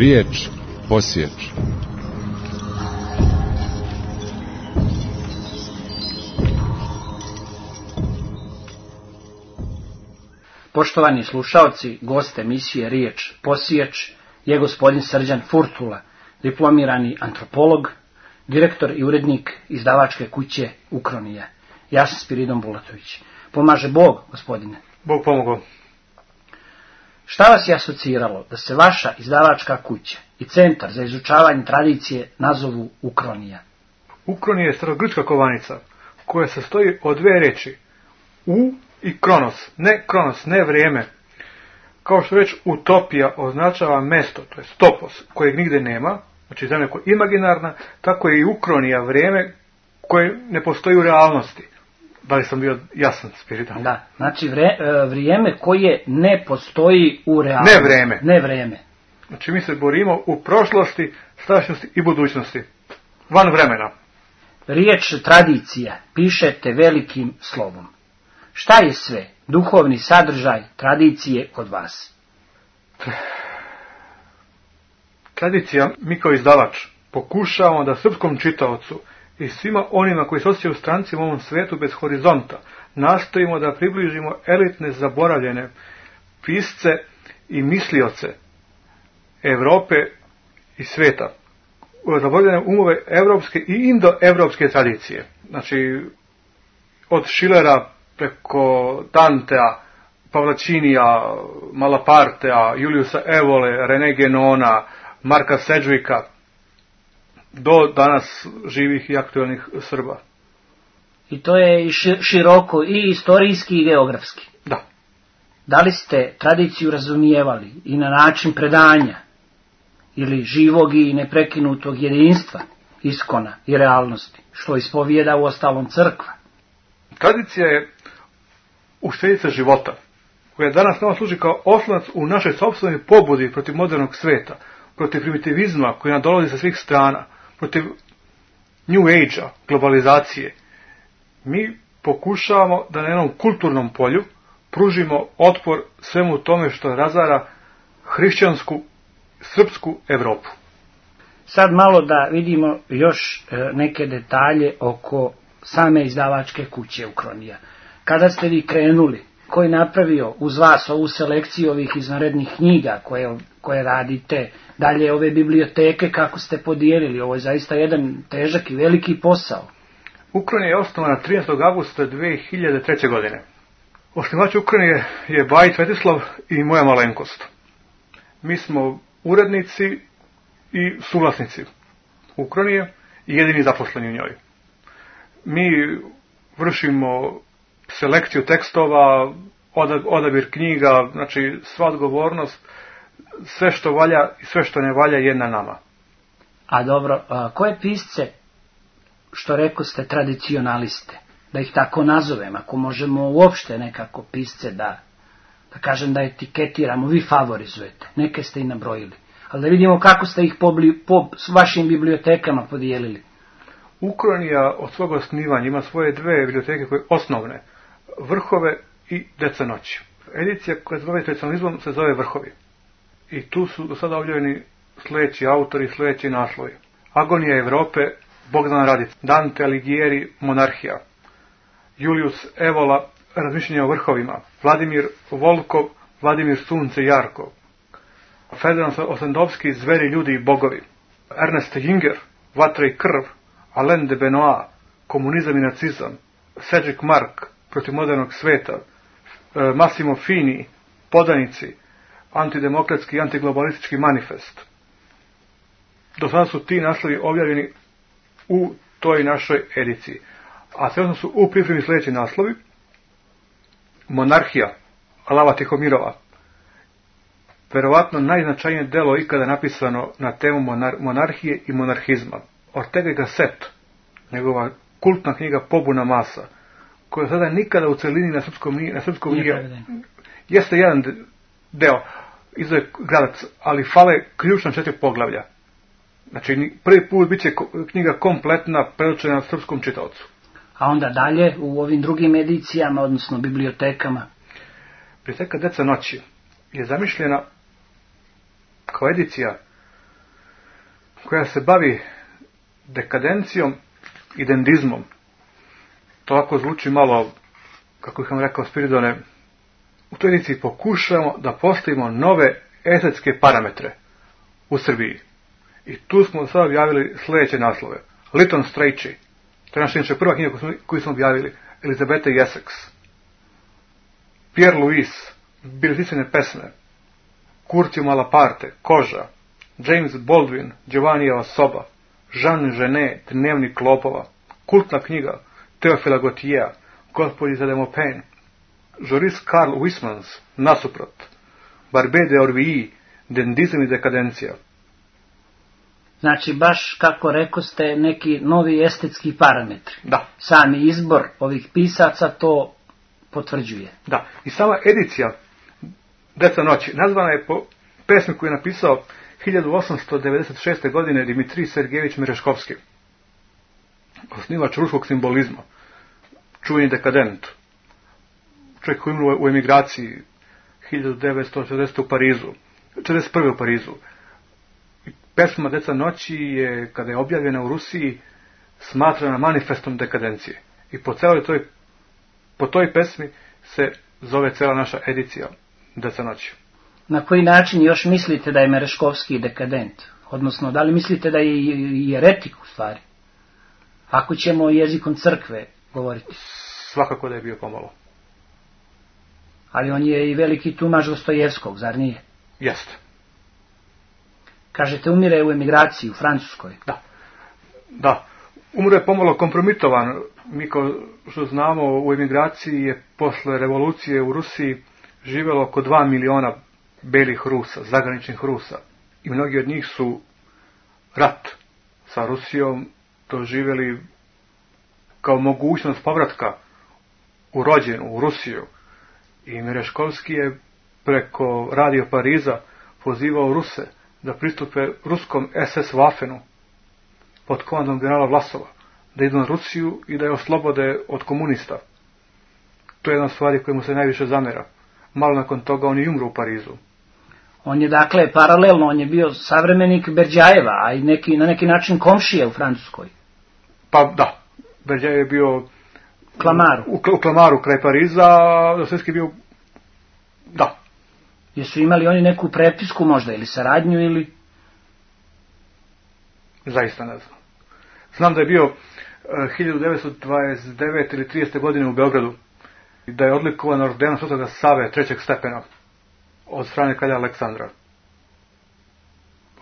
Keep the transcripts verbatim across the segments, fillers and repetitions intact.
Riječ posječ. Poštovani slušaoci, gost emisije Riječ posječ je gospodin Srđan Furtula, diplomirani antropolog, direktor i urednik izdavačke kuće Ukronija. Ja sam Spiridon Bulatović. Pomaže Bog, gospodine. Bog pomogao. Šta vas je asociralo da se vaša izdavačka kuća i centar za izučavanje tradicije nazovu Ukronija? Ukronija je starogrčka kovanica koja se sastoji od dve reči. U i kronos. Ne kronos, ne vrijeme. Kao što reč utopija označava mesto, to je topos, kojeg nigde nema, znači zemlja koja je imaginarna, tako je i Ukronija vrijeme koje ne postoji u realnosti. Da li sam bio jasan, Spiritan? Da, znači vre, vrijeme koje ne postoji u realnosti. Ne vrijeme. Ne vrijeme. Znači mi se borimo u prošlosti, sadašnjosti i budućnosti. Van vremena. Riječ tradicija pišete velikim slovom. Šta je sve duhovni sadržaj tradicije kod vas? Tradicija, mi kao izdavač pokušavamo da srpskom čitaocu i svima onima koji se osjećaju strancima u ovom svijetu bez horizonta nastojimo da približimo elitne zaboravljene pisce i mislioce Evrope i svijeta, zaboravljene umove evropske i indoevropske tradicije. Znači od Schillera preko Dantea, Pavlačinija, Malapartea, Juliusa Evole, René Guénona, Marka Sedgwicka, do danas živih i aktualnih Srba. I to je široko i istorijski i geografski. Da. Da li ste tradiciju razumijevali i na način predanja ili živog i neprekinutog jedinstva, iskona i realnosti, što ispovijeda u ostalom crkva? Tradicija je uštedica života, koja danas nama služi kao oslonac u našoj sopstvenoj pobudi protiv modernog sveta, protiv primitivizma koji nam dolazi sa svih strana, protiv New Age-a, globalizacije. Mi pokušavamo da na jednom kulturnom polju pružimo otpor svemu tome što razara hrišćansku, srpsku Evropu. Sad malo da vidimo još neke detalje oko same izdavačke kuće Ukronija. Kada ste vi krenuli, ko je napravio uz vas ovu selekciju ovih izvanrednih knjiga koje, koje radite, dalje ove biblioteke kako ste podijelili, ovo je zaista jedan težak i veliki posao. Ukronija je osnovana trinaestog avgusta dve hiljade treće. godine. Osnivač Ukronije je Bajić Svetislav i moja malenkost. Mi smo urednici i suvlasnici Ukronije i jedini zaposleni u njoj. Mi vršimo selekciju tekstova, odabir knjiga, znači sva odgovornost, sve što valja i sve što ne valja je na nama. A dobro, a koje pisce, što rekao ste, tradicionaliste, da ih tako nazovem, ako možemo uopšte nekako pisce da, da kažem da etiketiramo, vi favorizujete, neke ste i nabrojili, ali da vidimo kako ste ih po, po vašim bibliotekama podijelili. Ukronija od svog osnivanja ima svoje dve biblioteke koje osnovne, Vrhove i Deca noći. Edicija koja se zove tradicionalizmom se zove Vrhovi. I tu su do sada objavljeni sljedeći autori, sljedeći naslovi. Agonija Evrope, Bogdan Radić, Dante Alighieri, Monarhija, Julius Evola, Razmišljanje o vrhovima, Vladimir Volkov, Vladimir Sunce Jarkov, Ferdinand Osendovski, Zveri, ljudi i bogovi, Ernest Jünger, Vatra i krv, Alain de Benoit, Komunizam i nacizam, Cedric Mark, Protiv modernog sveta, Massimo Fini, Podanici, Antidemokratski i antiglobalistički manifest. Do sada su ti naslovi objavljeni u toj našoj ediciji. A sve su u pripremi sljedeći naslovi: Monarhija, Alava Tihomirova. Verovatno najznačajnije delo ikada napisano na temu monar- monarhije i monarhizma. Ortega y Gasset, njegova kultna knjiga Pobuna masa, koja sada nikada u celini na srpskom nije, na srpskom nije, jeste jedan deo, izdaje Gradac, ali fale ključna četiri poglavlja. Znači, prvi put bit će knjiga kompletna, predočena srpskom čitaocu. A onda dalje, u ovim drugim edicijama, odnosno bibliotekama? Biblioteka Deca noći je zamišljena kao edicija koja se bavi dekadencijom i dendizmom. To ovako zvuči malo, kako bih vam rekao, Spiridone, u toj ediciji pokušamo da postavimo nove estetske parametre u Srbiji. I tu smo sad objavili sljedeće naslove. Lytton Strachey, to je naša inače prva knjiga koju smo objavili, Elizabeta i Essex. Pierre Louis, Biljeticine pesme, Curcio Malaparte, Koža, James Baldwin, Giovannijeva soba, Jean Genet, Dnevnik lopova, kultna knjiga Teofila Gautiera, Gospodin za Demopen, Joris Karl Huysmans, Nasuprot, Barbet de Orville, Dendizam i dekadencija. Znači, baš kako rekoste, neki novi estetski parametri. Da. Sami izbor ovih pisaca to potvrđuje. Da. I sama edicija Deca noći nazvana je po pesmi koju je napisao hiljadu osamsto devedeset šeste. godine Dimitrij Sergejević Mereškovski, osnivač ruskog simbolizma, čuveni dekadent, čovjek koji umro u emigraciji hiljadu devetsto čedesete. u Parizu, četrdeset prve. u Parizu. Pesma Deca noći je, kada je objavljena u Rusiji, smatrana manifestom dekadencije. I po celoj toj, po toj pesmi se zove cela naša edicija Deca noći. Na koji način još mislite da je Mereškovski dekadent? Odnosno, da li mislite da je jeretik u stvari? Ako ćemo jezikom crkve govoriti. Svakako da je bio pomalo. Ali on je i veliki tumač Dostojevskog, zar nije? Jeste. Kažete, umire u emigraciji u Francuskoj. Da. Da. Umro je pomalo kompromitovan. Mi, kao što znamo, u emigraciji je posle revolucije u Rusiji živjelo oko dva miliona belih Rusa, zagraničnih Rusa. I mnogi od njih su rat sa Rusijom doživjeli kao mogućnost povratka u rođenu, u Rusiju. I Mereškovski je preko Radio Pariza pozivao Ruse da pristupe ruskom es es Waffenu pod komandom generala Vlasova, da idu na Rusiju i da je oslobode od komunista. To je jedna stvar koja mu se najviše zamera. Malo nakon toga on je umro u Parizu. On je dakle paralelno, on je bio savremenik Berdjajeva, a i neki, na neki način komšija u Francuskoj. Pa da, Berdjajev je bio Klamaru. U, u Klamaru kraj Pariza, a Dostojevski je bio, da. Jesu imali oni neku prepisku možda, ili saradnju, ili? Zaista ne znam. Znam da je bio uh, hiljadu devetsto dvadeset devete ili tridesete. godine u Beogradu, da je odlikovan ordenom Svetoga Save trećeg stepena od strane kralja Aleksandra.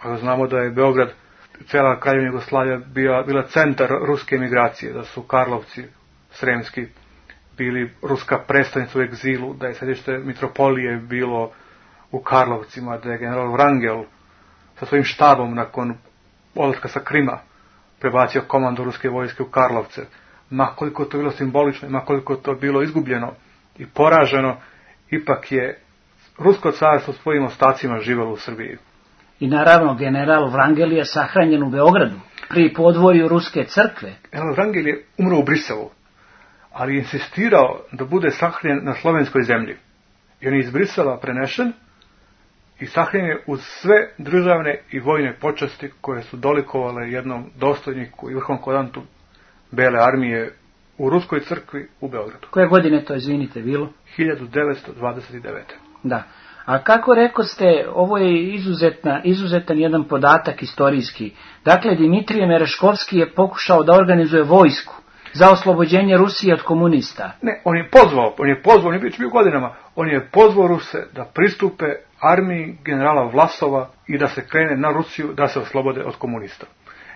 Pa znamo da je Beograd, cijela kraljevina Jugoslavija bila, bila centar ruske emigracije, da su Karlovci Sremski bili ruska predstavnica u egzilu, da je središte mitropolije bilo u Karlovcima, da je general Wrangel sa svojim štabom nakon odlaska sa Krima prebacio komandu ruske vojske u Karlovce. Makoliko to bilo simbolično, makoliko to bilo izgubljeno i poraženo, ipak je rusko carstvo svojim ostacima živjelo u Srbiji. I naravno, general Wrangel je sahranjen u Beogradu, pri podvorju ruske crkve. General Wrangel je umro u Briselu, ali je insistirao da bude sahranjen na slovenskoj zemlji. I on je iz Brisela prenešen i sahranjen je uz sve državne i vojne počasti koje su dolikovale jednom dostojniku i vrhovnom komandantu Bele armije u ruskoj crkvi u Beogradu. Koje godine to, izvinite, bilo? hiljadu devetsto dvadeset devete. Da. A kako rekoste, ovo je izuzetna, izuzetan jedan podatak istorijski. Dakle, Dimitrije Mereškovski je pokušao da organizuje vojsku za oslobođenje Rusije od komunista. Ne, on je pozvao, on je pozvao, on je bio godinama, on je pozvao Ruse da pristupe armiji generala Vlasova i da se krene na Rusiju da se oslobode od komunista.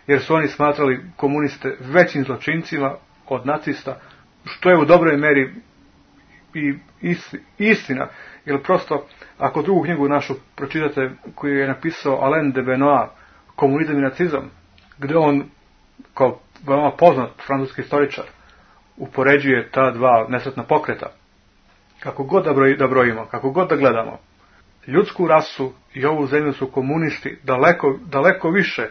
Jer su oni smatrali komuniste većim zločincima od nacista, što je u dobroj meri i istina. Jer prosto, ako drugu knjigu našu pročitate koju je napisao Alain de Benoit, Komunizam i nacizam, gdje on, kao veoma poznat francuski istoričar, upoređuje ta dva nesretna pokreta. Kako god da, broj, da brojimo, kako god da gledamo, ljudsku rasu i ovu zemlju su komunisti daleko, daleko više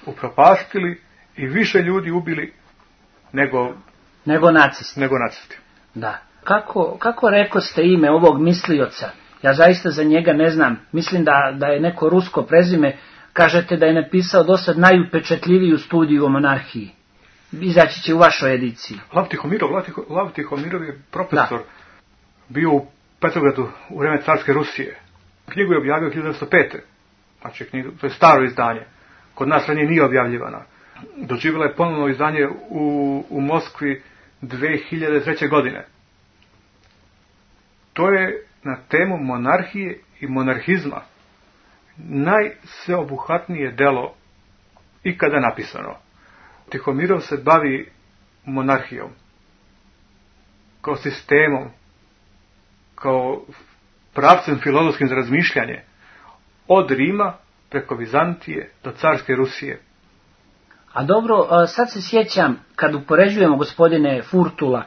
upropastili i više ljudi ubili nego, nego nacisti. Nego nacisti. Da. Kako, kako rekoste ime ovog mislioca? Ja zaista za njega ne znam. Mislim da, da je neko rusko prezime. Kažete da je napisao dosad najupečatljiviju studiju o monarhiji. Izaći će u vašoj ediciji. Lav Tihomirov, Lav Tihomirov je profesor, da. Bio u Petrogradu u vreme carske Rusije. Knjigu je objavio hiljadu devetsto pete. Znači, knjigu, to je staro izdanje. Kod nas ranije nije objavljivana. Doživjela je ponovno izdanje u, u Moskvi dve hiljade treće. godine. To je na temu monarhije i monarhizma najsveobuhvatnije delo ikada napisano. Tihomirov se bavi monarhijom kao sistemom, kao pravcem filozofskim za razmišljanje, od Rima preko Vizantije do carske Rusije. A dobro, sad se sjećam, kad upoređujemo, gospodine Furtula,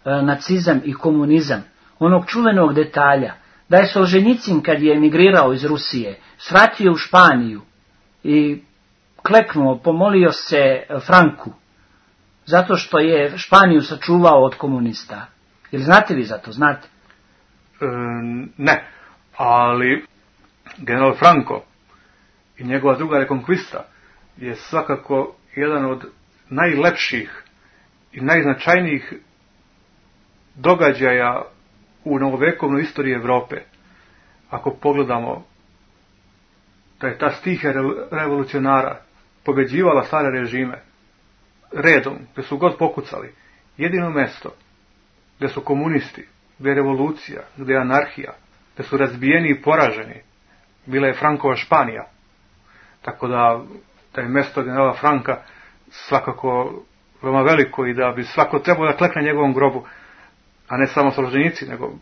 nacizam i komunizam, onog čuvenog detalja, da je Solženjicin, kad je emigrirao iz Rusije, svratio u Španiju i kleknuo, pomolio se Franku, zato što je Španiju sačuvao od komunista. Jel znate vi za to? Znate? E, ne, ali general Franco i njegova druga rekonkvista je svakako jedan od najlepših i najznačajnijih događaja u novovekovnoj istoriji Evrope. Ako pogledamo da je ta stihija revolucionara pobeđivala stare režime redom, gdje su god pokucali, jedino mesto gdje su komunisti, gdje je revolucija, gdje je anarhija, gdje su razbijeni i poraženi, bila je Frankova Španija. Tako da, da je mesto generala Franka svakako veoma veliko i da bi svako trebao da klekne njegovom grobu, a ne samo Solženjicin, nego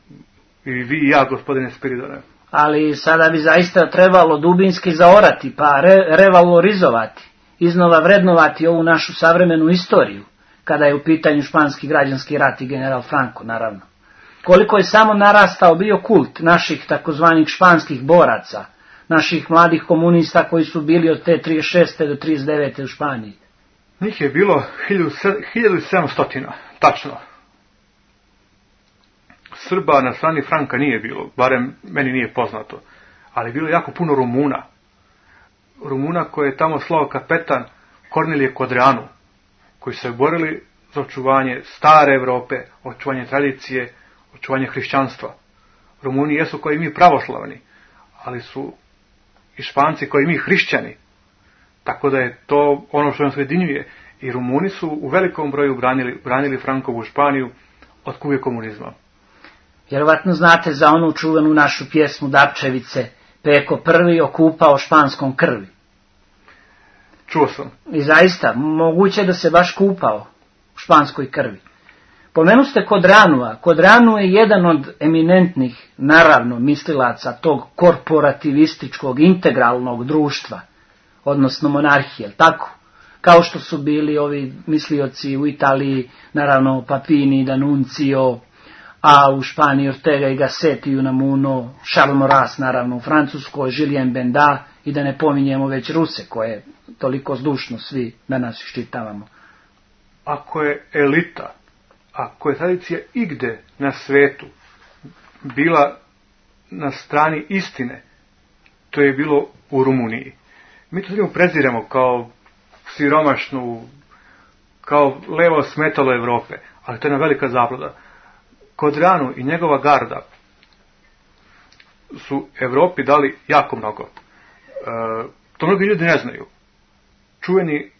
i vi i ja, gospodine Spiridone. Ali sada bi zaista trebalo dubinski zaorati, pa re, revalorizovati, iznova vrednovati ovu našu savremenu istoriju, kada je u pitanju španski građanski rat i general Franco, naravno. Koliko je samo narastao bio kult naših takozvanih španskih boraca, naših mladih komunista koji su bili od te trideset šeste do trideset devete u Španiji. Njih je bilo hiljadu sedamsto, tačno. Srba na strani Franka nije bilo, barem meni nije poznato, ali bilo jako puno Rumuna. Rumuna koje je tamo slao kapetan Kornelije Kodreanu, koji se borili za očuvanje stare Evrope, očuvanje tradicije, očuvanje hrišćanstva. Rumuni jesu koji mi pravoslavni, ali su i Španci koji mi hrišćani. Tako da je to ono što nas ujedinjuje. I Rumuni su u velikom broju branili, branili Frankovu Španiju od kuge komunizma. Vjerovatno znate za onu čuvenu našu pjesmu Dapčevice, Peko prvi okupao španskom krvi. Čuo sam. I zaista, moguće da se baš kupao u španskoj krvi. Pomenu ste Kodranua. Kodranu je jedan od eminentnih, naravno, mislilaca tog korporativističkog, integralnog društva, odnosno monarhije, tako? Kao što su bili ovi mislioci u Italiji, naravno Papini, D'Annunzio, a u Španiji Ortega i Gasset i Unamuno, Charles Maurras, naravno u Francuskoj, Julien Benda, i da ne pominjemo već Ruse, koje toliko zdušno svi danas iščitavamo. Ako je elita, ako je tradicija igde na svetu bila na strani istine, to je bilo u Rumuniji. Mi to ljudima preziramo kao siromašnu, kao levo smetalo Evrope, ali to je jedna velika zabluda. Kodranu i njegova garda su Evropi dali jako mnogo. E, to mnogi ljudi ne znaju. Čuveni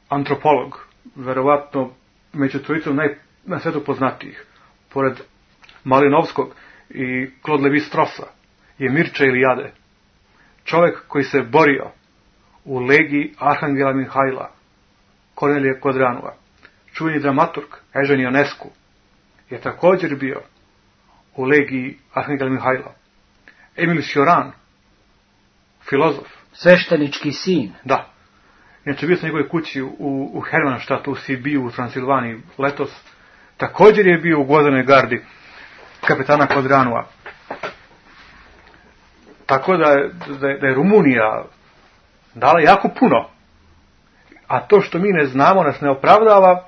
antropolog, verovatno među trojicom naj, na svetu poznatijih, pored Malinovskog i Claude Lévi-Straussa, je Mircea Eliade. Čovjek koji se borio u legiji Arhangela Mihajla, Kornelije Kodranua. Čuveni dramaturg Eugene Ionescu je također bio u legiji Arhangela Mihajla. Emil Cioran, filozof. Sveštenički sin. Da. Inače, bio sam njegove kući u, u Hermannštatu, u Sibiju, u Transilvaniji letos. Također je bio u gvozdenoj gardi kapetana Kodranua. Tako da je, da, je, da je Rumunija dala jako puno. A to što mi ne znamo nas ne opravdava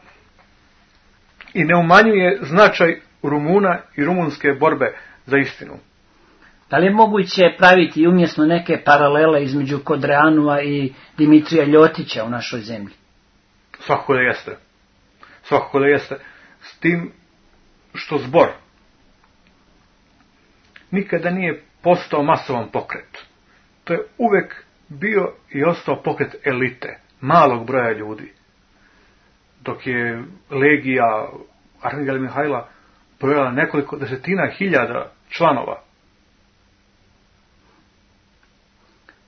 i ne umanjuje značaj Rumuna i rumunske borbe za istinu. Da li je moguće praviti umjesno neke paralele između Kodreanua i Dimitrija Ljotića u našoj zemlji? Svakako da jeste. Svakako da jeste. S tim što zbor nikada nije postao masovan pokret. To je uvek bio i ostao pokret elite, malog broja ljudi. Dok je legija Arhangela Mihajla brojala nekoliko desetina hiljada članova.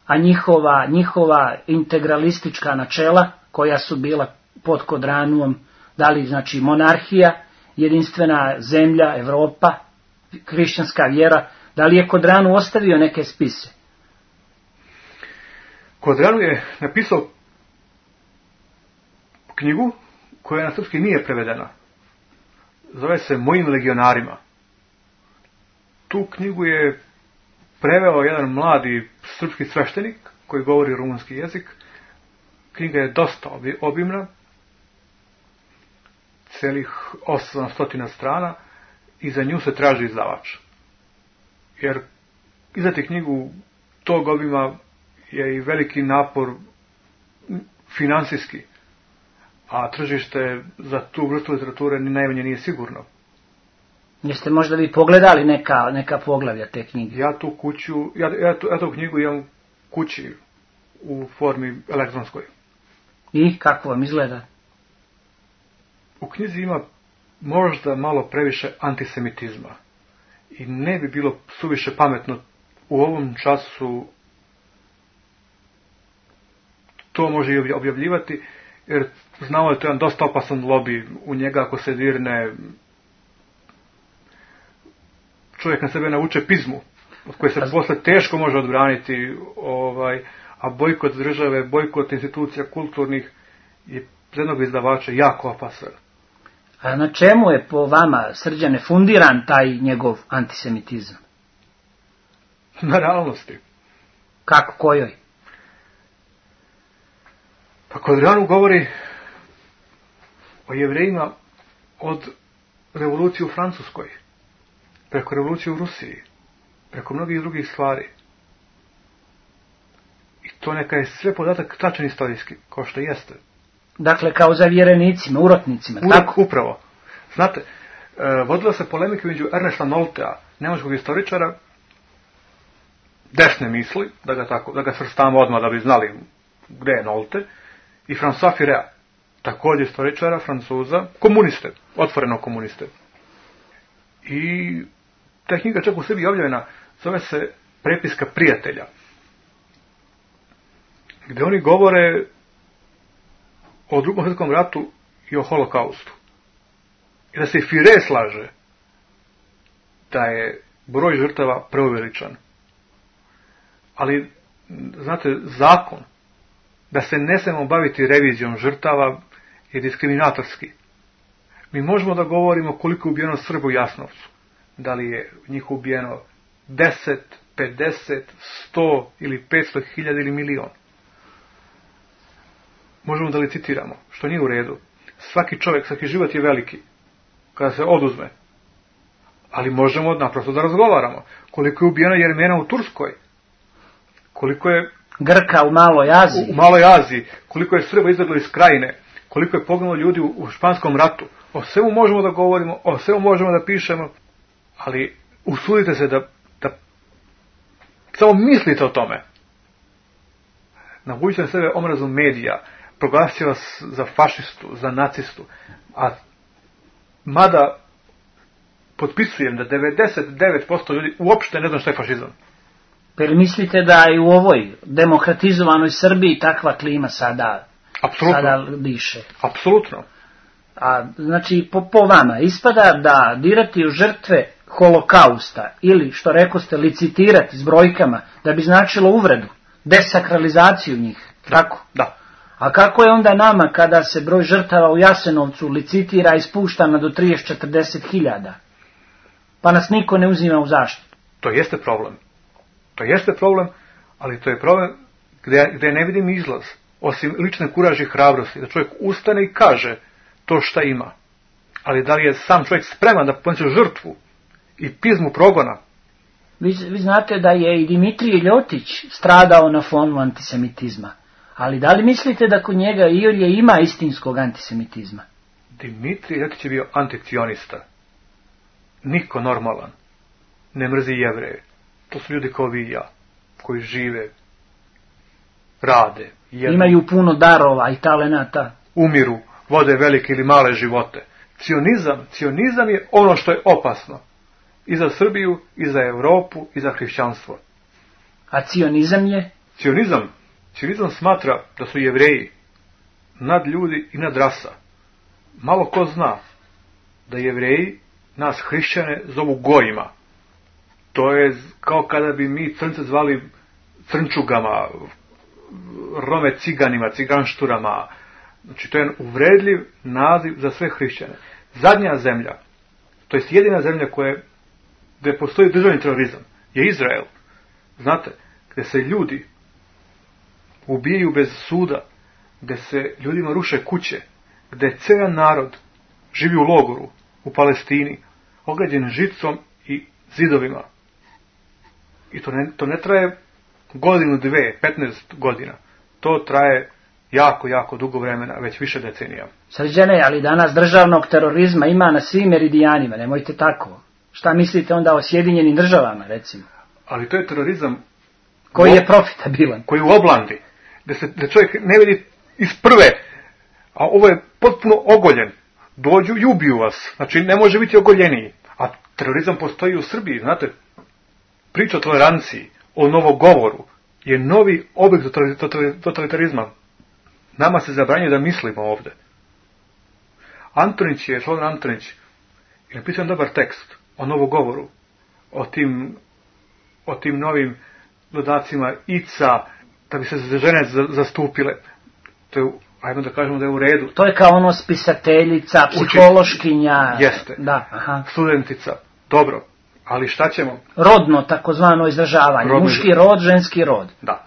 A njihova, njihova integralistička načela, koja su bila pod Kodranuom, da li znači monarhija, jedinstvena zemlja, Evropa, hrišćanska vjera, da li je Kodranu ostavio neke spise? Kodranu je napisao knjigu koja na srpski nije prevedena. Zove se Mojim legionarima. Tu knjigu je preveo jedan mladi srpski sveštenik koji govori rumunski jezik. Knjiga je dosta obimna, celih osamsto strana, i za nju se traži izdavač. Jer izdati knjigu tog obima je i veliki napor finansijski, a tržište za tu vrstu literature ni najmanje nije sigurno. Jeste možda vi pogledali neka, neka poglavlja te knjige? Ja tu kuću, ja, ja, tu, ja tu knjigu imam kući u formi elektronskoj. I kako vam izgleda? U knjizi ima možda malo previše antisemitizma i ne bi bilo suviše pametno u ovom času to može i objavljivati, jer znamo da je to jedan dosta opasan lobby. U njega ako se dirne, čovjek na sebe navuče pizmu, od koje se posle teško može odbraniti, ovaj, a bojkot države, bojkot institucija kulturnih je za jednog izdavača jako opasan. A na čemu je po vama, Srđane, fundiran taj njegov antisemitizam? Na realnosti. Kako, kojoj? Pa Kodranu govori o Jevrejima od revolucije u Francuskoj, preko revolucije u Rusiji, preko mnogih drugih stvari. I to neka je sve podatak tačan istorijski, kao što jeste. Dakle, kao za vjerenicima, urotnicima, Uvijek, tako? Upravo. Znate, e, vodila se polemika među Ernesta Noltea, nemačkog istoričara, desne misli, da ga, tako, da ga svrstamo odmah da bi znali gde je Nolte, i François Furet, također istoričara, Francuza, komuniste, otvoreno komuniste. I ta knjiga čak u sebi objavljena, zove se Prepiska prijatelja, gde oni govore o Drugom svjetskom ratu i o holokaustu. I da se i Furet slaže da je broj žrtava preuveličan. Ali, znate, zakon da se ne smemo baviti revizijom žrtava je diskriminatorski. Mi možemo da govorimo koliko je ubijeno Srba u Jasnovcu. Da li je njih ubijeno deset, pedeset, sto ili petsto hiljada ili milion. Možemo da licitiramo, što nije u redu. Svaki čovjek, svaki život je veliki kada se oduzme. Ali možemo naprosto da razgovaramo. Koliko je ubijeno Jermena u Turskoj? Koliko je Grka u Maloj Aziji? U Maloj Aziji. Koliko je Srba izbjeglo iz Krajine? Koliko je poginulo ljudi u, u Španskom ratu? O svemu možemo da govorimo, o svemu možemo da pišemo, ali usudite se da, da samo mislite o tome. Navučite na sebe omrazu medija, proglasio vas za fašistu, za nacistu, a mada potpisujem da devedeset devet posto ljudi uopšte ne zna šta je fašizam. Jer mislite da i u ovoj demokratizovanoj Srbiji takva klima sada, sada diše? Apsolutno. A, znači, po, po vama, ispada da dirati u žrtve holokausta ili, što rekoste, licitirati s brojkama, da bi značilo uvredu, desakralizaciju njih, tako? Da. A kako je onda nama kada se broj žrtava u Jasenovcu licitira i spušta na do trideset do četrdeset hiljada? Pa nas niko ne uzima u zaštitu. To jeste problem. To jeste problem, ali to je problem gdje, gdje ne vidim izlaz, osim lične kuraže i hrabrosti, da čovjek ustane i kaže to šta ima. Ali da li je sam čovjek spreman da ponese žrtvu i pizmu progona Vi, vi znate da je i Dimitrije Ljotić stradao na fonu antisemitizma. Ali da li mislite da kod njega iolje ima istinskog antisemitizma? Dimitrije Ljotić je bio anticionista. Niko normalan ne mrzi Jevreje. To su ljudi kao vi i ja, koji žive, rade, jedu, imaju puno darova i talenata, umiru, vode velike ili male živote. Cionizam, cionizam je ono što je opasno i za Srbiju, i za Europu, i za hrišćanstvo. A cionizam je? Cionizam, cionizam smatra da su Jevreji nad ljudi i nad rasa. Malo ko zna da Jevreji nas hrišćane zovu gojima. To je kao kada bi mi crnce zvali crnčugama, Rome ciganima, ciganšturama. Znači, to je uvredljiv naziv za sve hrišćane. Zadnja zemlja, to jest jedina zemlja koja, gdje postoji državni terorizam, je Izrael. Znate, gdje se ljudi ubijaju bez suda, gdje se ljudima ruše kuće, gdje cijel narod živi u logoru, u Palestini, ograđen žicom i zidovima. I to ne, to ne traje godinu, dve, petnaest godina. To traje jako, jako dugo vremena, već više decenija. Srđane, ali danas državnog terorizma ima na svim meridijanima, nemojte tako. Šta mislite onda o Sjedinjenim državama, recimo? Ali to je terorizam koji je profitabilan. Koji u oblandi, da se da čovjek ne vidi iz prve, a ovo je potpuno ogoljen. Dođu i ubiju vas. Znači, ne može biti ogoljeniji. A terorizam postoji u Srbiji, znate. Priča o toleranciji, o novogovoru, je novi oblik totalitarizma. Nama se zabranjuje da mislimo ovdje. Antonić je, Slobodan Antonić, je napisao dobar tekst o novogovoru, o tim, o tim novim dodacima ica, da bi se žene zastupile. To je, ajmo da kažemo da je u redu. To je kao ono spisateljica, psihološkinja. Jeste. Da, aha. Studentica. Dobro. Ali šta ćemo? Rodno, takozvano izražavanje. Rodno, muški rod, ženski rod. Da.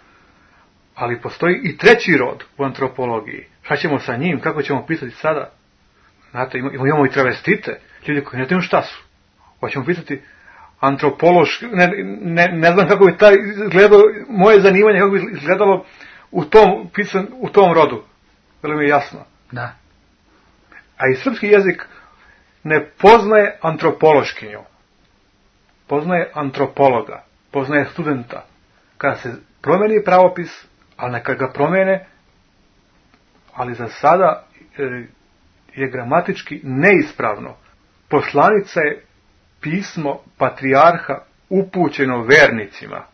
Ali postoji i treći rod u antropologiji. Šta ćemo sa njim? Kako ćemo pisati sada? Znate, imamo i travestite. Ljudi koji ne znaju šta su. Hoćemo pisati antropološki. Ne, ne, ne znam kako bi taj izgledalo, moje zanimanje kako bi izgledalo u tom, pisan, u tom rodu. Veli mi je jasno. Da. A i srpski jezik ne poznaje antropološkinju. Poznaje antropologa, poznaje studenta. Kada se promeni pravopis, ali neka ga promene, ali za sada je gramatički neispravno. Poslanica je pismo patrijarha upućeno vernicima,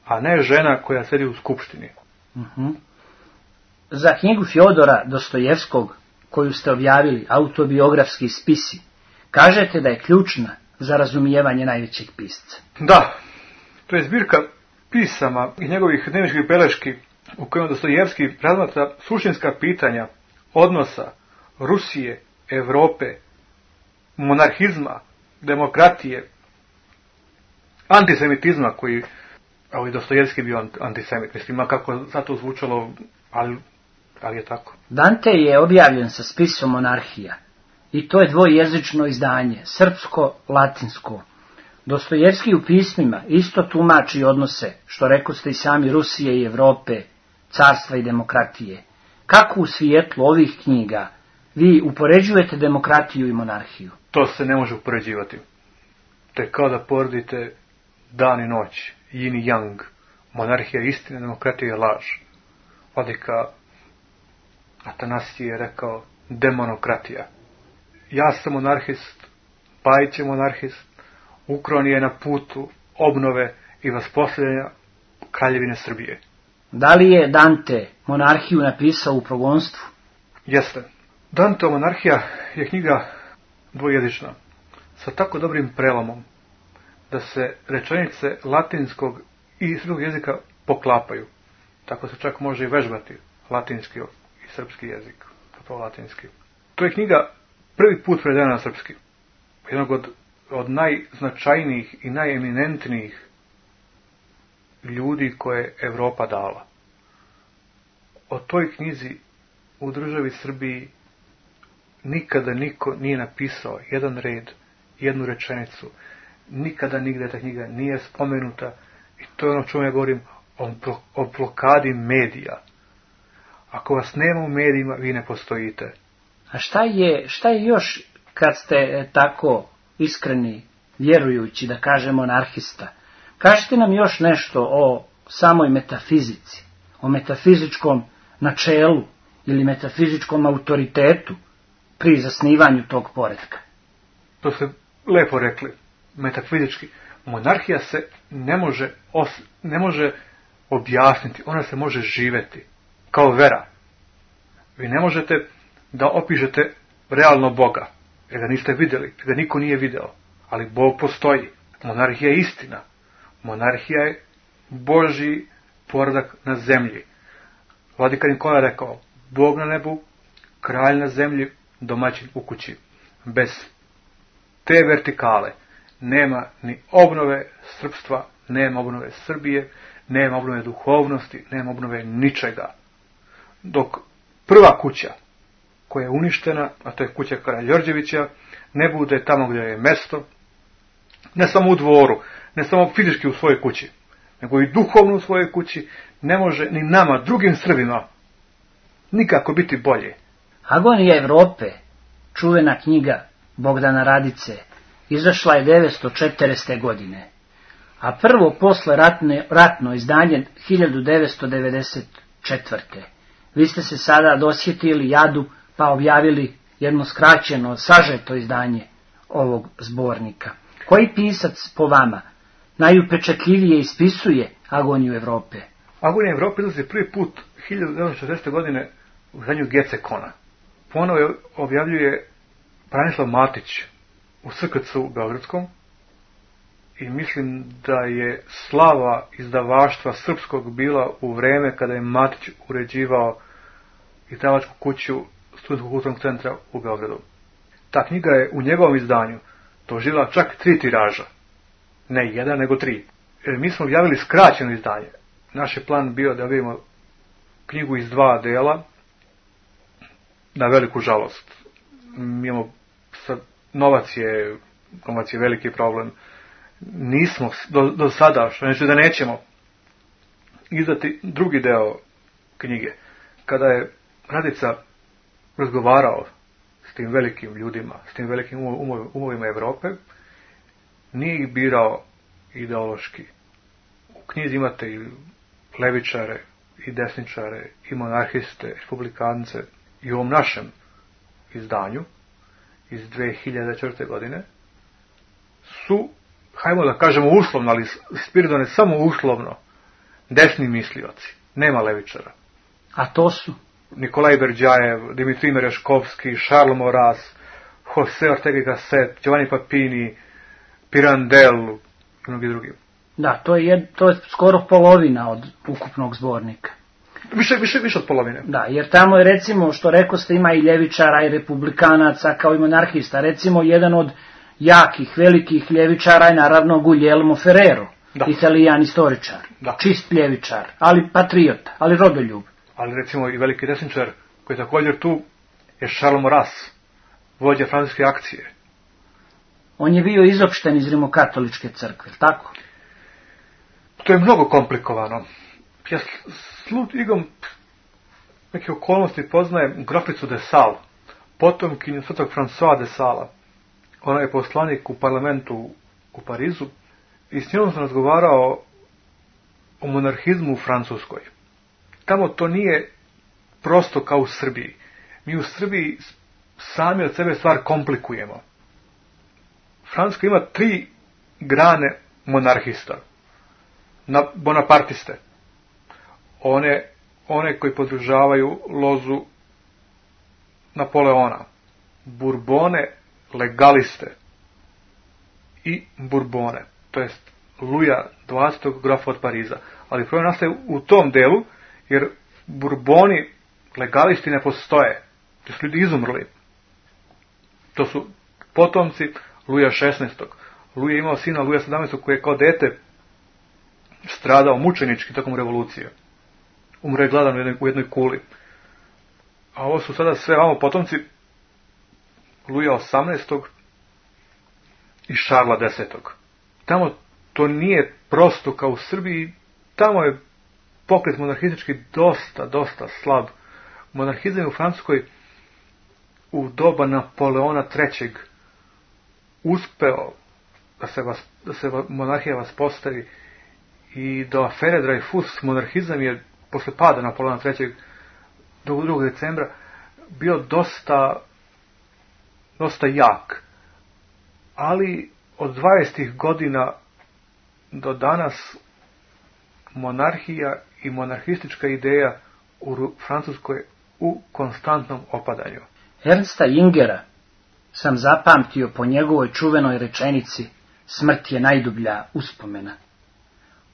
a ne žena koja sedi u skupštini. Uh-huh. Za knjigu Fjodora Dostojevskog, koju ste objavili, autobiografski spisi, kažete da je ključna za razumijevanje najvećeg pisca. Da, to je zbirka pisama i njegovih dnevničkih beleški u kojima Dostojevski razmatra suštinska pitanja odnosa Rusije, Europe, monarhizma, demokratije, antisemitizma koji, a i Dostojevski bio antisemit, mislim, kako sad to zvučalo, ali, ali je tako. Dante je objavljen sa spisom Monarhija. I to je dvojezično izdanje, srpsko-latinsko. Dostojevski u pismima isto tumači odnose, što rekoste i sami, Rusije i Europe, carstva i demokratije. Kako u svijetlu ovih knjiga vi upoređujete demokratiju i monarhiju? To se ne može upoređivati. To je kao da poredite dan i noć, yin i yang. Monarhija je istina, demokratija je laž. Vladika Atanasije je rekao demonokratija. Ja sam monarhist, Pajić je monarhist, Ukron je na putu obnove i vaspostavljanja Kraljevine Srbije. Da li je Dante monarhiju napisao u progonstvu? Jeste. Danteova monarhija je knjiga dvojezična, sa tako dobrim prelomom, da se rečenice latinskog i srpskog jezika poklapaju. Tako se čak može i vežbati latinski i srpski jezik, zapravo latinski. To je knjiga prvi put prevedena na srpski. Jednog od, od najznačajnijih i najeminentnijih ljudi koje je Evropa dala. O toj knjizi u državi Srbiji nikada niko nije napisao jedan red, jednu rečenicu, nikada nigde ta knjiga nije spomenuta i to je ono čemu ja govorim o, o blokadi medija. Ako vas nema u medijima, vi ne postojite. A šta je, šta je još kad ste tako iskreni, vjerujući, da kažemo, anarhista? Kažite nam još nešto o samoj metafizici, o metafizičkom načelu ili metafizičkom autoritetu pri zasnivanju tog poretka. To ste lepo rekli, metafizički. Monarhija se ne može, os, ne može objasniti, ona se može živeti, kao vera. Vi ne možete da opišete realno Boga, jer ga niste vidjeli, jer ga niko nije video, ali Bog postoji. Monarhija je istina. Monarhija je Božji poredak na zemlji. Vladika Nikola je rekao, Bog na nebu, kralj na zemlji, domaćin u kući. Bez te vertikale nema ni obnove srpstva, nema obnove Srbije, nema obnove duhovnosti, nema obnove ničega. Dok prva kuća koja je uništena, a to je kuća Karađorđevića, ne bude tamo gdje je mesto, ne samo u dvoru, ne samo fizički u svojoj kući, nego i duhovno u svojoj kući, ne može ni nama, drugim Srbima, nikako biti bolje. Agonija Evrope, čuvena knjiga Bogdana Radice, izašla je devetsto četrdeset. godine, a prvo posle ratne, ratno izdanje hiljadu devetsto devedeset četvrte. Vi ste se sada dosjetili jadu pa objavili jedno skraćeno, sažeto izdanje ovog zbornika. Koji pisac po vama najupečatljivije ispisuje Agoniju Evrope? Agonija Evrope izlazi prvi put hiljadu devetsto šezdeset. godine u izdanju Gecekona. Ponovo objavljuje Branislav Matić u S K C u Beogradskom i mislim da je slava izdavaštva srpskog bila u vreme kada je Matić uređivao izdavačku kuću Studentskog kulturnog centra u Beogradu. Ta knjiga je u njegovom izdanju doživjela čak tri tiraža. Ne jedan, nego tri. Jer mi smo objavili skraćeno izdanje. Naš je plan bio da vidimo knjigu iz dva dela, na veliku žalost. Mi imamo, sad, novac je, novac je veliki problem. Nismo do, do sada, što neće da nećemo, izdati drugi deo knjige. Kada je Radica razgovarao s tim velikim ljudima, s tim velikim umovima Evrope, nije ih birao ideološki. U knjizi imate i levičare, i desničare, i monarhiste, republikance, i u ovom našem izdanju iz dve hiljade četvrte. godine su, hajmo da kažemo uslovno, ali Spiridon je samo uslovno, desni mislioci, nema levičara. A to su? Nikolaj Berđajev, Dimitrij Mereškovski, Charles Maurras, Jose Ortega y Gasset, Giovanni Papini, Pirandello i mnogi drugi. Da, to je, jed, to je skoro polovina od ukupnog zbornika. Više, više, više od polovine. Da, jer tamo je, recimo, što rekao ste, ima i ljevičara i republikanaca kao i monarhista. Recimo, jedan od jakih, velikih ljevičara je naravno Guglielmo Ferrero, da. Italijan istoričar, da. Čist ljevičar, ali patriota, ali rodoljub. Ali recimo i veliki desničar koji je također tu je Charles Maurras, vođa francuske akcije. On je bio izopšten iz rimokatoličke crkve, tako? To je mnogo komplikovano. Ja slut igom neke okolnosti poznajem groficu de Sales, potomkinju svetog François de Salesa. Ona je poslanik u parlamentu u Parizu i s njom sam razgovarao o monarhizmu u Francuskoj. Tamo to nije prosto kao u Srbiji. Mi u Srbiji sami od sebe stvar komplikujemo. Francuska ima tri grane monarhista. Na bonapartiste. One, one koji podržavaju lozu Napoleona. Burbone, legaliste i Burbone. To jest Luja dvadesetog grofa od Pariza. Ali problem nastaje u tom delu, jer Burboni, legalisti ne postoje. To su ljudi izumrli. To su potomci Luja šesnaestog. Luja je imao sina Luja sedamnaestog koji je kao dete stradao mučenički tokom revolucije. Umre je gladan u jednoj, u jednoj kuli. A ovo su sada sve vamo potomci Luja osamnaestog i Šarla desetog. tamo to nije prosto kao u Srbiji, tamo je pokret monarhistički dosta, dosta slab. Monarhizam je u Francuskoj u doba Napoleona trećeg uspeo da se, vas, da se monarhija vaspostavi i do afere Dreyfus monarhizam je posle pada Napoleona trećeg do drugog decembra bio dosta dosta jak. Ali od dvadesetih godina do danas monarhija i monarhistička ideja u Francuskoj u konstantnom opadanju. Ernsta Jingera sam zapamtio po njegovoj čuvenoj rečenici smrt je najdublja uspomena.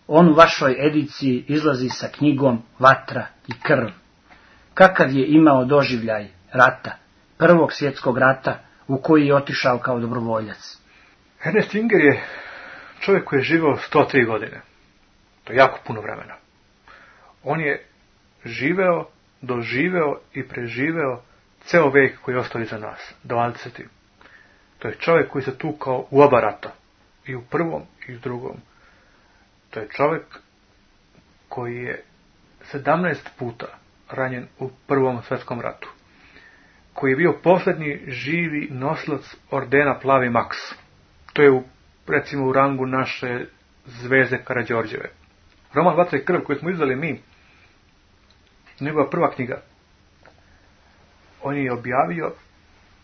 On u vašoj ediciji izlazi sa knjigom Vatra i krv. Kakav je imao doživljaj rata, prvog svjetskog rata u koji je otišao kao dobrovoljac? Ernest Jinger je čovjek koji je živio sto tri godine. To je jako puno vremena. On je živeo, doživeo i preživeo ceo vek koji je ostao iza nas, dvadeseti. To je čovjek koji se tukao u oba rata, i u prvom i u drugom. To je čovjek koji je sedamnaest puta ranjen u prvom svjetskom ratu, koji je bio posljednji živi nosilac ordena Plavi Maks. To je u, recimo u rangu naše zvezde Karađorđeve. Roman Vatra i krv koji smo izdali mi, njegova prva knjiga, on je objavio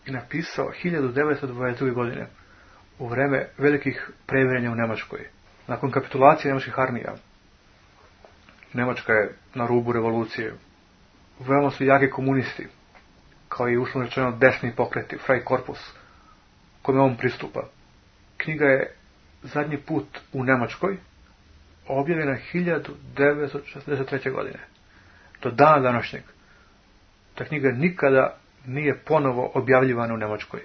i napisao hiljadu devetsto dvadeset druge. godine, u vreme velikih previranja u Njemačkoj. Nakon kapitulacije njemačkih armija, Njemačka je na rubu revolucije. Veoma su jaki komunisti, kao i uslovno rečeno desni pokreti, Freikorpus, kome on pristupa. Knjiga je zadnji put u Njemačkoj objavljena hiljadu devetsto šezdeset treće. godine. Do dana današnjeg ta knjiga nikada nije ponovo objavljivana u Njemačkoj.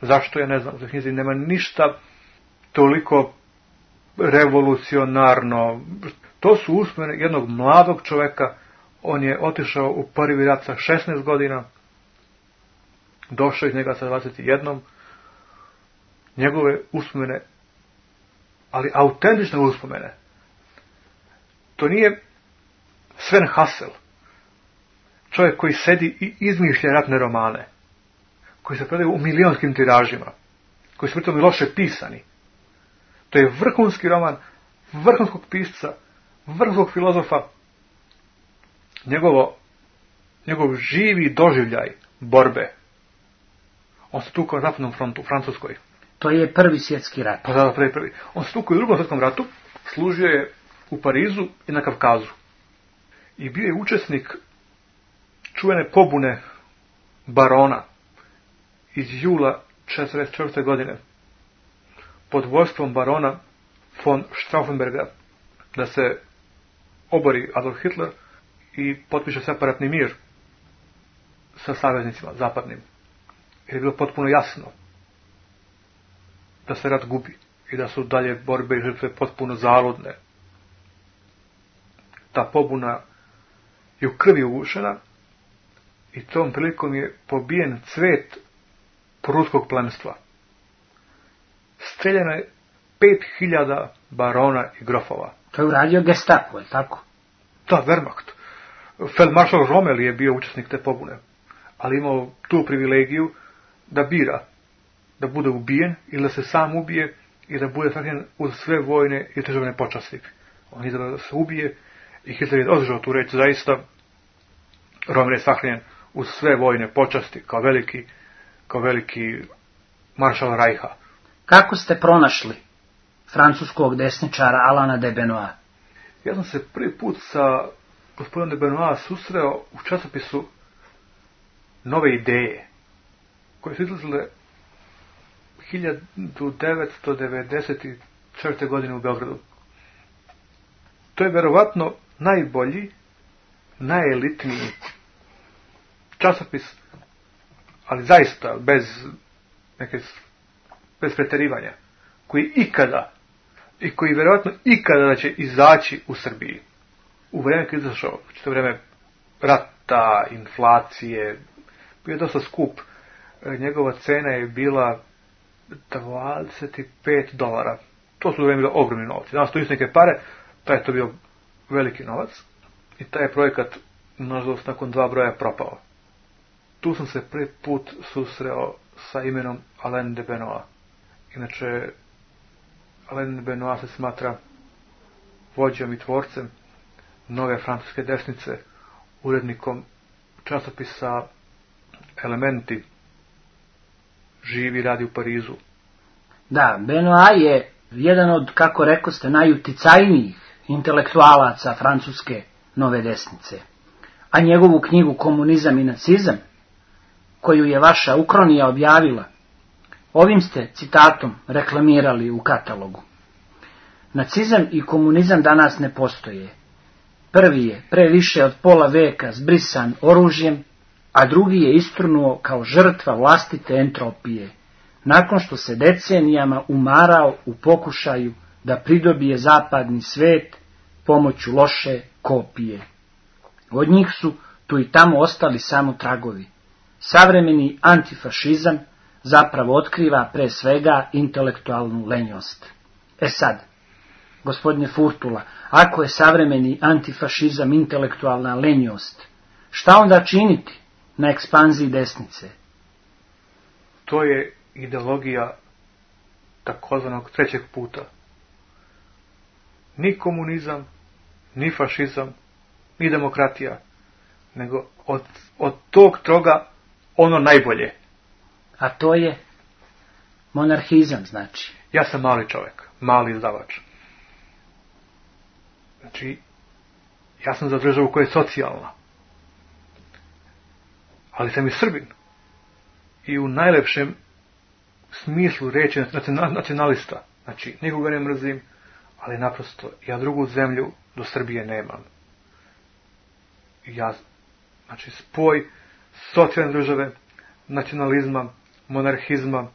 Zašto, ja ne znam. U knjizi nema ništa toliko revolucionarno. To su uspomene jednog mladog čoveka. On je otišao u prvi rat sa šesnaest godina, došao iz njega sa dvadeset jedan. Njegove uspomene, ali autentične uspomene. To nije Sven Hassel, čovjek koji sedi i izmišlja ratne romane, koji se prodaju u milionskim tiražima, koji su pritom i loše pisani. To je vrhunski roman, vrhunskog pisca, vrhunskog filozofa. Njegovo, njegov živi doživljaj borbe. On se tukao na zapadnom frontu, u Francuskoj. To je prvi svjetski rat. Pa da, prvi, prvi. On se tukao u drugom svjetskom ratu, služio je u Parizu i na Kavkazu. I bio je učesnik čuvene pobune barona iz jula četrdeset četvrte. godine pod vodstvom barona von Stauffenberga da se obori Adolf Hitler i potpiše separatni mir sa saveznicima zapadnim. Jer je bilo potpuno jasno da se rat gubi i da su dalje borbe i žrtve potpuno zaludne. Ta pobuna je u krvi ugušena i tom prilikom je pobijen cvet pruskog plemstva. Streljeno je pet hiljada barona i grofova. To je uradio Gestapo, je tako? Da, Wehrmacht. Feldmaršal Rommel je bio učesnik te pobune, ali imao tu privilegiju da bira da bude ubijen ili da se sam ubije i da bude sahranjen uz sve vojne i državne počasti. On je izabrao da se ubije i Hitler je održao tu reč zaista. Rommel je sahranjen uz sve vojne počasti kao veliki, kao veliki maršal Rajha. Kako ste pronašli francuskog desničara Alana de Benoit? Ja sam se prvi put sa gospodinom de Benoit susreo u časopisu Nove ideje, koje su izlazile hiljadu devetsto devedeset četvrte. godine u Beogradu. To je verovatno najbolji, najelitniji časopis, ali zaista bez neke, bez preterivanja, koji ikada i koji verovatno ikada da će izaći u Srbiji. U vreme kad je izašao, to vreme rata, inflacije, bio je dosta skup. Njegova cena je bila dvadeset pet dolara. To su bili ogromni novci. Danas to isto neke pare, taj je to bio veliki novac i taj je projekat, nažalost, nakon dva broja propao. Tu sam se prvi put susreo sa imenom Alain de Benoit. Inače, Alain de Benoit se smatra vođom i tvorcem nove francuske desnice, urednikom časopisa Elementi, živi, radi u Parizu. Da, Benoit je jedan od, kako rekoste, najuticajnijih intelektualaca francuske nove desnice. A njegovu knjigu Komunizam i nacizam, koju je vaša Ukronija objavila, ovim ste citatom reklamirali u katalogu. Nacizam i komunizam danas ne postoje. Prvi je pre više od pola veka zbrisan oružjem, a drugi je istrunuo kao žrtva vlastite entropije, nakon što se decenijama umarao u pokušaju da pridobije zapadni svet pomoću loše kopije. Od njih su tu i tamo ostali samo tragovi. Savremeni antifašizam zapravo otkriva pre svega intelektualnu lenjost. E sad, gospodine Furtula, ako je savremeni antifašizam intelektualna lenjost, šta onda činiti na ekspanziji desnice? To je ideologija takozvanog trećeg puta. Ni komunizam, ni fašizam, ni demokratija, nego od, od tog troga ono najbolje. A to je monarhizam, znači. Ja sam mali čovjek, mali izdavač. Znači, ja sam za državu koja je socijalna. Ali sam i Srbin. I u najlepšem smislu reći nacionalista. Znači, nikoga ne mrzim, ali naprosto ja drugu zemlju do Srbije nemam. Ja, znači, spoj socijalne države, nacionalizma, monarhizma,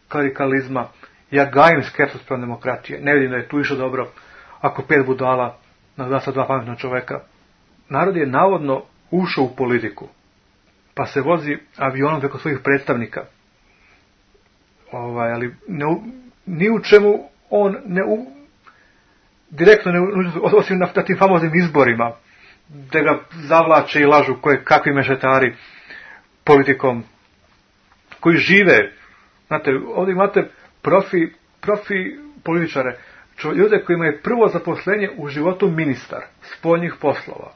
klerikalizma. Ja gajim skepsu spram demokratije. Ne vidim da je tu išlo dobro ako pet budala naglasa dva pametna čoveka. Narod je navodno ušao u politiku, pa se vozi avionom preko svojih predstavnika. Ovaj, ali ne, ni u čemu on ne u, direktno ne osim na, na tim famoznim izborima, da ga zavlače i lažu koje, kakvi mešetari politikom, koji žive. Znate, ovdje imate profi, profi političare, čo, ljude koji imaju prvo zaposlenje u životu ministar spoljnih poslova.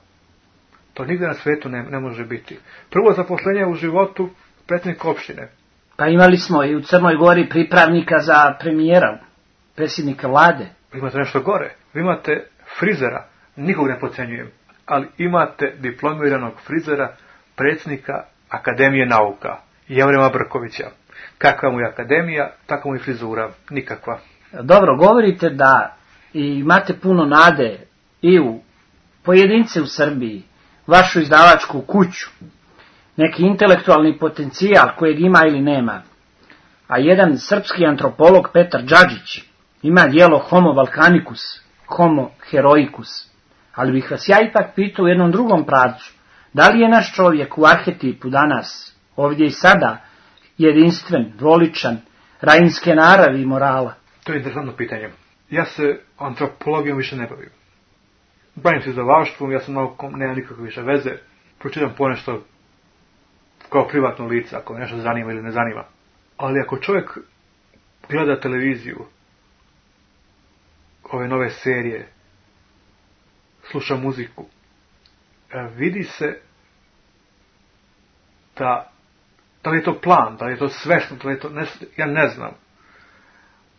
To nigde na svijetu ne, ne može biti. Prvo zaposlenje u životu predsjednik opštine. Pa imali smo i u Crnoj Gori pripravnika za premijera, predsjednika vlade. Vi imate nešto gore. Vi imate frizera, nikog ne podcenjujem, ali imate diplomiranog frizera, predsjednika Akademije nauka, Jevrema Brkovića. Kakva mu je akademija, takva mu je frizura, nikakva. Dobro, govorite da imate puno nade i u pojedince u Srbiji, vašu izdavačku kuću, neki intelektualni potencijal kojeg ima ili nema. A jedan srpski antropolog Petar Đađić ima djelo Homo Balkanicus, Homo Heroicus. Ali bih vas ja ipak pitao u jednom drugom pravcu, da li je naš čovjek u arhetipu danas, ovdje i sada, jedinstven, dvoličan, rajinske naravi i morala? To je interesantno pitanje. Ja se antropologijom više ne bavim. Bavim se izdavaštvom, ja sam naukom, nema nikakve više veze. Pročitam ponešto kao privatno lice, ako me nešto zanima ili ne zanima. Ali ako čovjek gleda televiziju, ove nove serije, sluša muziku, vidi se da, da li je to plan, da li je to svesno, da li je to, ne, ja ne znam.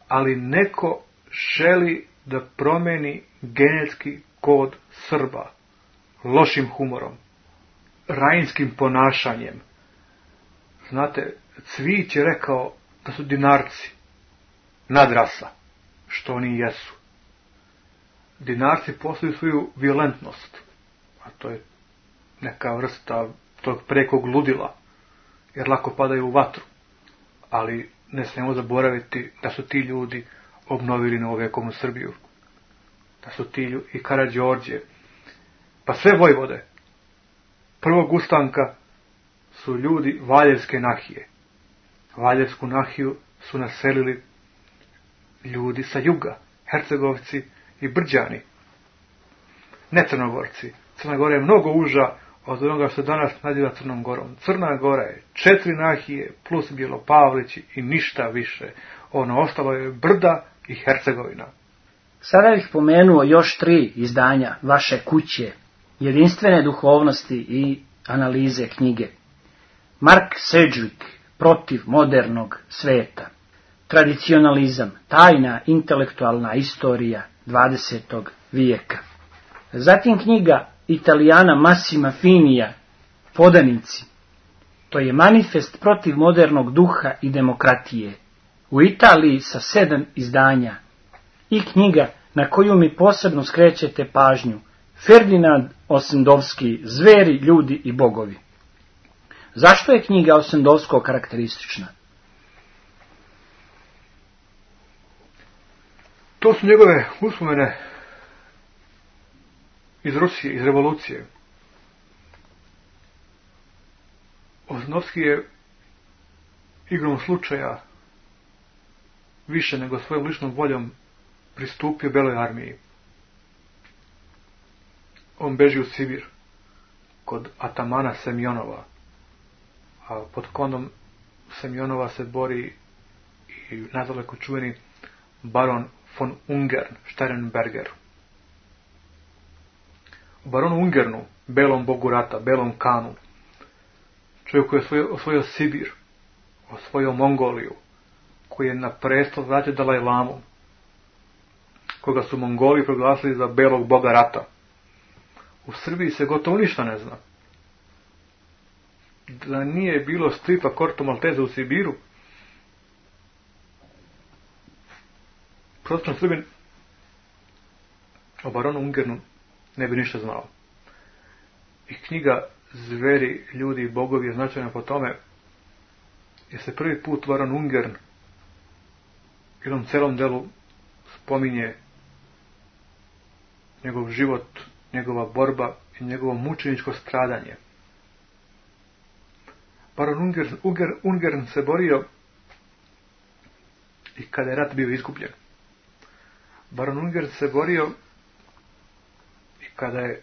Ali neko želi da promeni genetski kod Srba lošim humorom, rajinskim ponašanjem. Znate, Cvijić je rekao da su Dinarci nadrasa, što oni jesu. Dinarci posluju svoju violentnost, a to je neka vrsta tog prekog ludila, jer lako padaju u vatru. Ali ne smijemo zaboraviti da su ti ljudi obnovili novovekovnu Srbiju. Da su ti ljudi, i Karađorđe, pa sve vojvode prvog ustanka su ljudi Valjevske nahije. Valjevsku nahiju su naselili ljudi sa juga, Hercegovci i Brđani. Ne Crnogorci. Crna Gora je mnogo uža od onoga što danas naziva Crnom Gorom. Crna Gora je četiri nahije plus Bjelopavlići i ništa više. Ono ostalo je Brda i Hercegovina. Sada bih pomenuo još tri izdanja vaše kuće, jedinstvene duhovnosti i analize knjige. Mark Sedgwick, Protiv modernog sveta. Tradicionalizam, tajna intelektualna istorija dvadesetog vijeka. Zatim knjiga Italijana Massima Finija, Podanici. To je manifest protiv modernog duha i demokratije. U Italiji sa sedam izdanja. I knjiga na koju mi posebno skrećete pažnju, Ferdinand Ossendowski, Zveri, ljudi i bogovi. Zašto je knjiga Ossendowskog karakteristična? To su njegove uspomene iz Rusije, iz revolucije. Ossendowski je igrom slučaja više nego svojom ličnom voljom pristupio Beloj armiji. On beži u Sibir kod atamana Semjonova, a pod kondom Semjonova se bori i nadaleko čuveni baron von Ungern, Sternberger. U baronu Ungernu, belom bogu rata, belom Kanu, čovjek koji je osvojio, osvojio Sibir, osvojio Mongoliju, koji je na prestol vratio Dalaj Lamu, koga su Mongoli proglasili za belog boga rata. U Srbiji se gotovo ništa ne zna. Da nije bilo stripa Corto Maltese u Sibiru, prosječan Srbin o baronu Ungernu ne bi ništa znao. I knjiga Zveri, ljudi i bogovi je značajna po tome jer se prvi put baron Ungern u jednom celom delu spominje njegov život, njegova borba i njegovo mučeničko stradanje. Baron Ungern, Ungern, Ungern se borio i kada je rat bio izgubljen. Baron Ungern se borio i kada je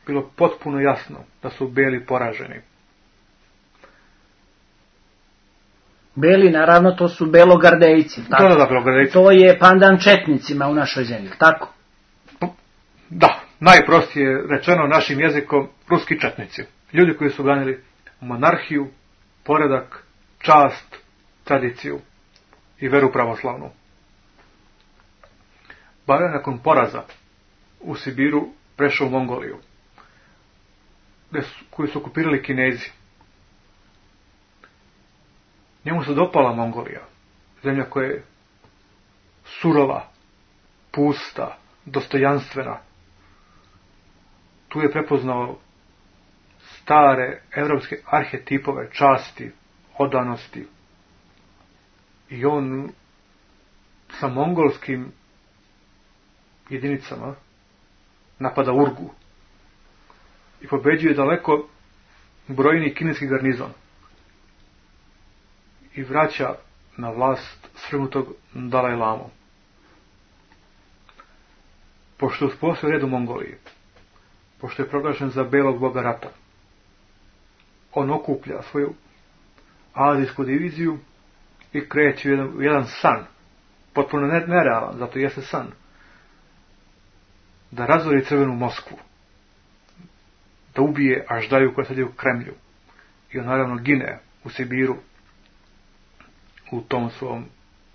bilo potpuno jasno da su beli poraženi. Beli, naravno, to su belogardejci. Tako? Da, da, belogardejci. To je pandan četnicima u našoj zemlji, tako? Da, najprostije rečeno našim jezikom, ruski četnici. Ljudi koji su ganili monarhiju, poredak, čast, tradiciju i veru pravoslavnu. Baron nakon poraza u Sibiru prešao u Mongoliju, koju su okupirali Kinezi. Njemu se dopala Mongolija, zemlja koja je surova, pusta, dostojanstvena. Tu je prepoznao stare evropske arhetipove časti, odanosti. I on sa mongolskim jedinicama napada Urgu i pobeđuje daleko brojni kineski garnizon i vraća na vlast svrgnutog Dalaj Lamu. Pošto je uspostavio red u Mongoliji, pošto je proglašen za belog boga rata, on okuplja svoju azijsku diviziju i kreće u jedan, u jedan san, potpuno nerealan, zato jeste san, da razori crvenu Moskvu, da ubije Aždaju koja sedi u Kremlju. I on naravno gine u Sibiru u tom svom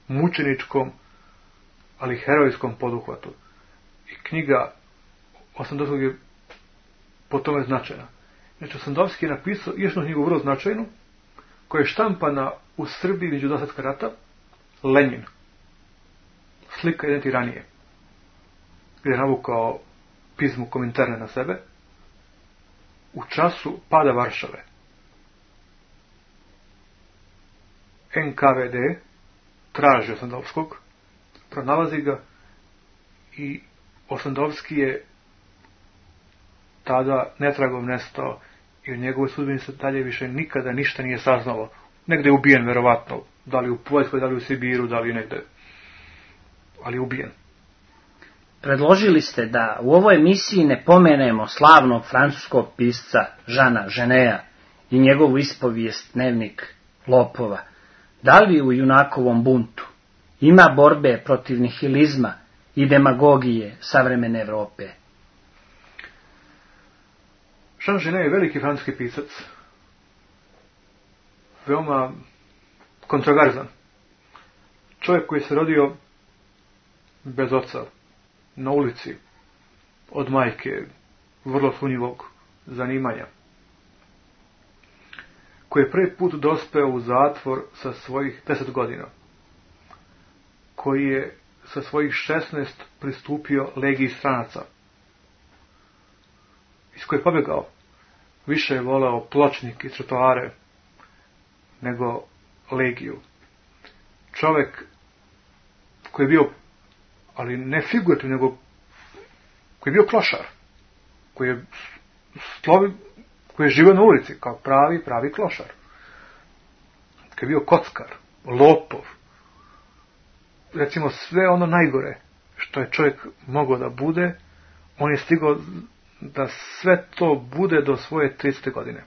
mučeničkom, ali herojskom poduhvatu. I knjiga Ossendowskog je po tome značajna. Znači, Ossendowski je napisao još jednu knjigu vrlo značajnu, koja je štampana u Srbiji među dva svjetska rata, Lenin. Slika jedan tiranije, gdje je navukao pismu Kominterne na sebe, u času pada Varšave. N K V D traži Ossendowskog, pronalazi ga i Ossendowski je tada netragom nestao i u njegovoj sudbini se dalje više nikada ništa nije saznalo. Negde je ubijen, verovatno, da li u Poljskoj, da li u Sibiru, da li negde, ali je ubijen. predložili ste da u ovoj emisiji ne pomenemo slavnog francuskog pisca Žana Ženea i njegovu ispovijest Dnevnik lopova. Da li u junakovom buntu ima borbe protiv nihilizma i demagogije savremene Evrope? Jean Genet je veliki francuski pisac, veoma kontroverzan. Čovjek koji se rodio bez oca, na ulici, od majke, vrlo sumnjivog zanimanja, koji je prvi put dospeo u zatvor sa svojih deset godina, koji je sa svojih šesnaest pristupio legiji stranaca, iz koje je pobjegao. Više je voleo pločnik i trotoare nego legiju. Čovjek koji je bio, ali ne figurativno, nego koji je bio klošar, koji je slovi, koji je živio na ulici kao pravi, pravi klošar, koji je bio kockar, lopov, recimo sve ono najgore što je čovjek mogao da bude, on je stigao da sve to bude do svoje tridesete godine.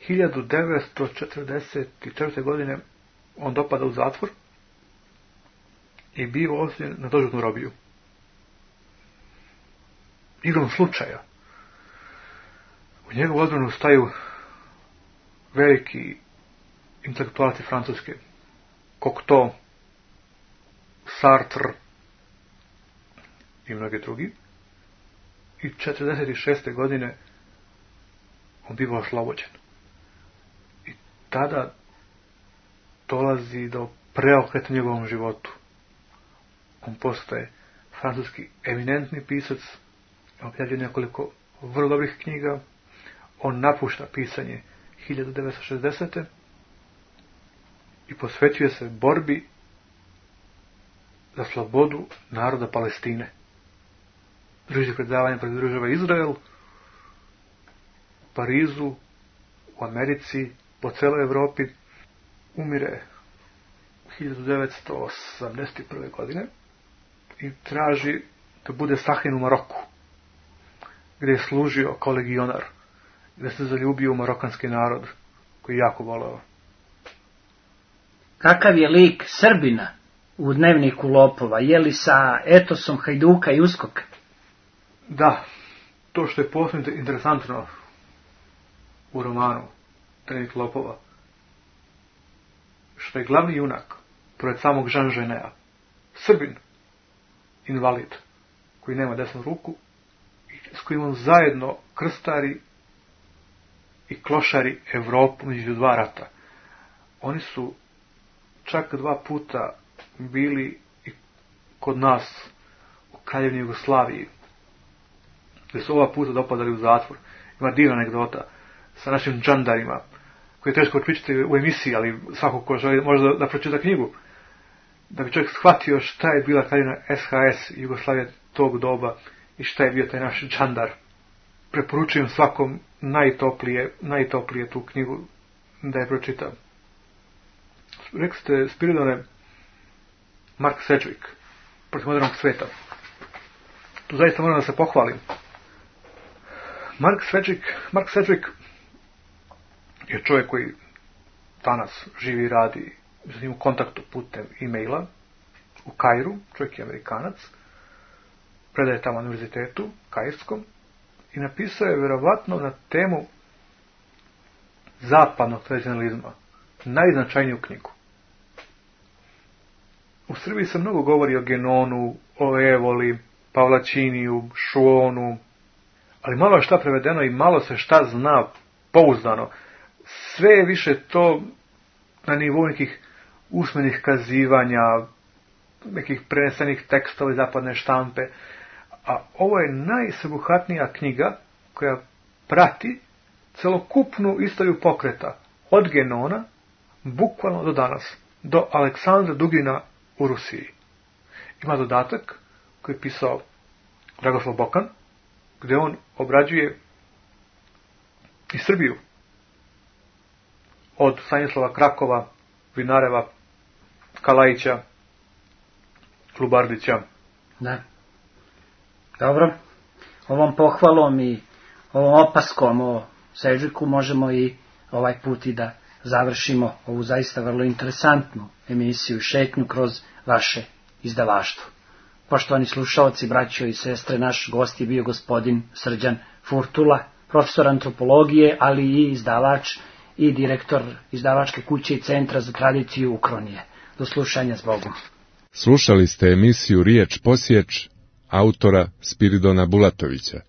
hiljadu devetsto četrdeset četvrte. godine on dopada u zatvor i bio osuđen na doživotnu robiju. Igrom slučaja u njegovu odbranu staju veliki intelektualci francuske, Cocteau, Sartre i mnogi drugi. I četrdeset šeste. godine on biva oslobođen. I tada dolazi do preokreta u njegovom životu. On postaje francuski eminentni pisac, objavljuje nekoliko vrlo dobrih knjiga, on napušta pisanje hiljadu devetsto šezdesete. i posvećuje se borbi za slobodu naroda Palestine. Drži predavanje pred država Izrael, u Parizu, u Americi, po celoj Evropi. Umire hiljadu devetsto osamdeset prve. godine i traži da bude sahranjen u Maroku, gdje je služio kao legionar, gdje se zaljubio u marokanski narod koji je jako voleo. Kakav je lik Srbina u Dnevniku lopova? Je li sa etosom Hajduka i Uskoka? Da, to što je posebno interesantno u romanu Dnevnik lopova, što je glavni junak, pored samog Jean Geneta, Srbin, invalid, koji nema desnu ruku, s kojim on zajedno krstari i klošari Evropu među dva rata. Oni su čak dva puta bili i kod nas u Kraljevini Jugoslaviji, gdje su ova puta dopadali u zatvor. Ima divna anegdota sa našim džandarima, koji je teško pričati u emisiji, ali svako ko želi može da, da pročita knjigu, da bi čovjek shvatio šta je bila Kraljevina S H S Jugoslavije tog doba i šta je bio taj naš džandar. Preporučujem svakom najtoplije, najtoplije tu knjigu da je pročita. Rekli ste, Spiridone, Mark Sedgwick, protiv modernog sveta. Tu zaista moram da se pohvalim. Mark Sedgwick, Mark Sedgwick je čovjek koji danas živi i radi s njim u kontaktu putem e-maila u Kairu, čovjek je Amerikanac, predaje tamo na univerzitetu Kairskom i napisao je vjerovatno na temu zapadnog tradicionalizma najznačajniju knjigu. U Srbiji se mnogo govori o Genonu, o Evoli, Pavlačiniju, Šuonu, ali malo je šta prevedeno i malo se šta zna pouzdano. Sve je više to na nivou nekih usmenih kazivanja, nekih prenesenih tekstova iz zapadne štampe, a ovo je najsveobuhvatnija knjiga koja prati celokupnu istoriju pokreta od Genona bukvalno do danas, do Aleksandra Dugina u Rusiji. Ima dodatak koji je pisao Dragoslav Bokan, gdje on obrađuje i Srbiju od Stanislava Krakova, Vinareva, Kalajića, Lubardića. Da. Dobro, ovom pohvalom i ovom opaskom o Sežviku možemo i ovaj put i da završimo ovu zaista vrlo interesantnu emisiju i šetnju kroz vaše izdavaštvo. Poštovani slušaoci, braćo i sestre, naš gost je bio gospodin Srđan Furtula, profesor antropologije, ali i izdavač i direktor izdavačke kuće i centra za tradiciju Ukronije. Do slušanja, s Bogom. Slušali ste emisiju Riječ posječ autora Spiridona Bulatovića.